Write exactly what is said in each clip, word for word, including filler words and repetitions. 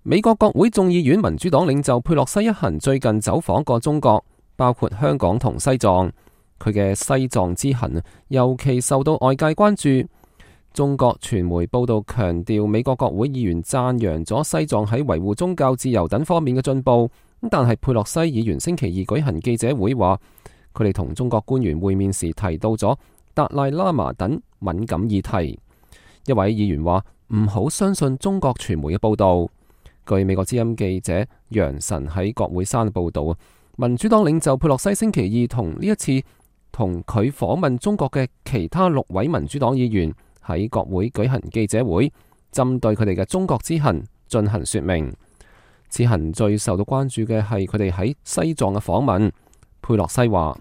美國國會眾議院民主黨領袖佩洛西一行最近走訪過中國，包括香港同西藏。佢嘅西藏之行尤其受到外界關注。中國傳媒報道強調，美國國會議員讚揚咗西藏喺維護宗教自由等方面嘅進步。但係佩洛西議員星期二舉行記者會話，佢哋同中國官員會面時提到咗達賴喇嘛等敏感議題。一位議員話唔好相信中國傳媒嘅報道。據美國之音記者楊晨喺國會山報道，民主黨領袖佩洛西星期二同呢一次同佢訪問中國嘅其他六位民主黨議員喺國會舉行記者會，針對佢哋嘅中國之行進行說明。此行最受到關注嘅係佢哋喺西藏嘅訪問。佩洛西話：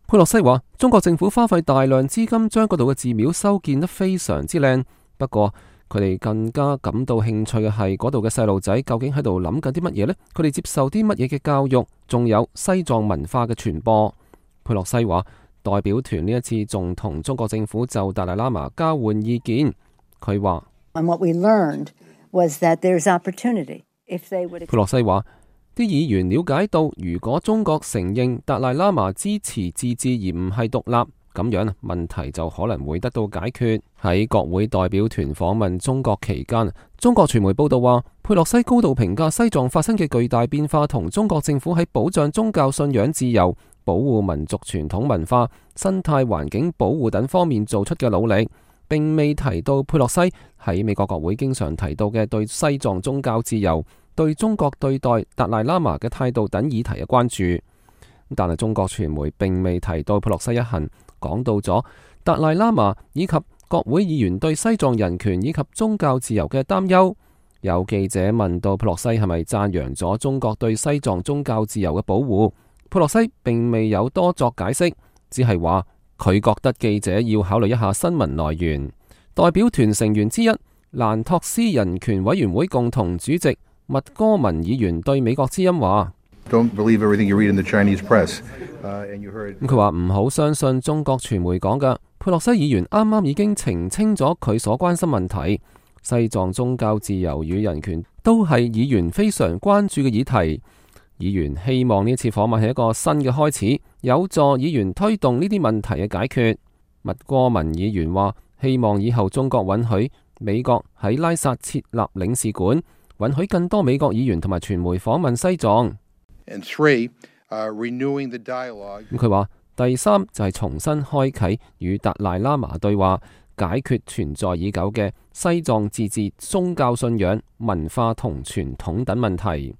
佩洛西話，中國政府花費大量資金將嗰度嘅寺廟修建得非常之靚，不過佢哋更加感到興趣嘅係嗰度嘅細路仔究竟喺度諗緊啲乜嘢呢？佢哋接受啲乜嘢嘅教育？仲有西藏文化嘅傳播。佩洛西話，代表團呢一次仲同中國政府就達賴喇嘛交換意見。佢話：佩洛西話，啲議員了解到，如果中國承認達賴喇嘛支持自治而唔係獨立，咁樣問題就可能會得到解決。喺國會代表團訪問中國期間，中國傳媒報道話，佩洛西高度評價西藏發生嘅巨大變化同中國政府喺保障宗教信仰自由、保護民族傳統文化、生態環境保護等方面做出嘅努力，並未提到佩洛西喺美國國會經常提到嘅對西藏宗教自由、對中國對待達賴喇嘛嘅態度等議題嘅關注。但係中國傳媒並未提到佩洛西一行講到咗達賴喇嘛以及國會議員對西藏人權以及宗教自由嘅擔憂。有記者問到佩洛西係咪讚揚咗中國對西藏宗教自由嘅保護，佩洛西並未有多作解釋，只係話佢覺得記者要考慮一下新聞來源。代表團成員之一蘭托斯人權委員會共同主席麥戈文議員對美國之音話：咁佢話唔好相信中國傳媒講嘅。佩洛西議員啱啱已經澄清咗佢所關心問題，西藏宗教自由與人權都係議員非常關注嘅議題。議員希望呢次訪問係一個新嘅開始，有助議員推動呢啲問題嘅解決。麥戈文議員話：希望以後中國允許美國喺拉薩設立領事館，允許更多美國議員同埋傳媒訪問西藏。咁佢話第三就係重新開啟與達賴喇嘛對話，解決存在已久嘅西藏自治宗教信仰、文化同傳統等問題。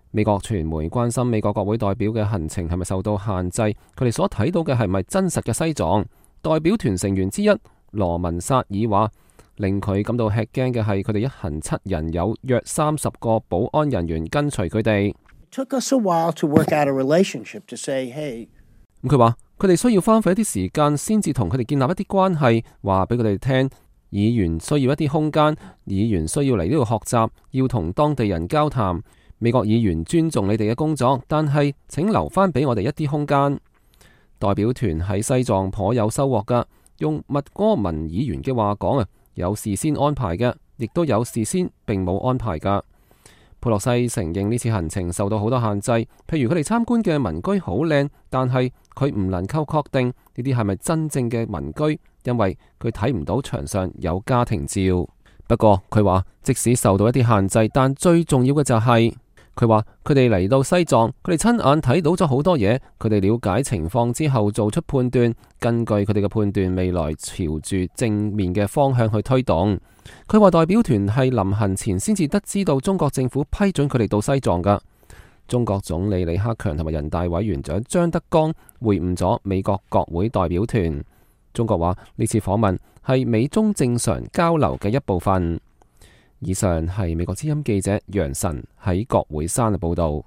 美國傳媒關心美國國會代表嘅行程係咪受到限制，佢哋所睇到嘅係咪真實嘅西藏。代表團成員之一羅文薩爾話，令佢感到吃驚嘅係佢哋一行七人有約三十個保安人員跟隨佢哋。咁佢話佢哋需要花費一啲時間先至同佢哋建立一啲關係，話俾佢哋聽，議員需要一啲空間，議員需要嚟呢度學習，要同當地人交談。美國議員尊重你哋嘅工作，但係請留翻俾我哋一啲空間。代表團喺西藏頗有收穫噶，用麥戈文議員嘅話講啊，有事先安排嘅，亦都有事先並冇安排噶。佩洛西承認呢次行程受到好多限制，譬如佢哋參觀嘅民居好靚，但係佢唔能夠確定呢啲係咪真正嘅民居，因為佢睇唔到牆上有家庭照。不過佢話即使受到一啲限制，但最重要嘅就係佢話佢哋嚟到西藏，佢哋親眼睇到咗好多嘢，佢哋了解情況之後做出判斷，根據佢哋嘅判斷，未來朝住正面嘅方向去推動。佢話代表團係臨行前先至得知到中國政府批准佢哋到西藏噶。中國總理李克強同埋人大委員長張德江會晤咗美國國會代表團。中國話呢次訪問係美中正常交流嘅一部分。以上係美國之音記者楊晨喺國會山嘅報道。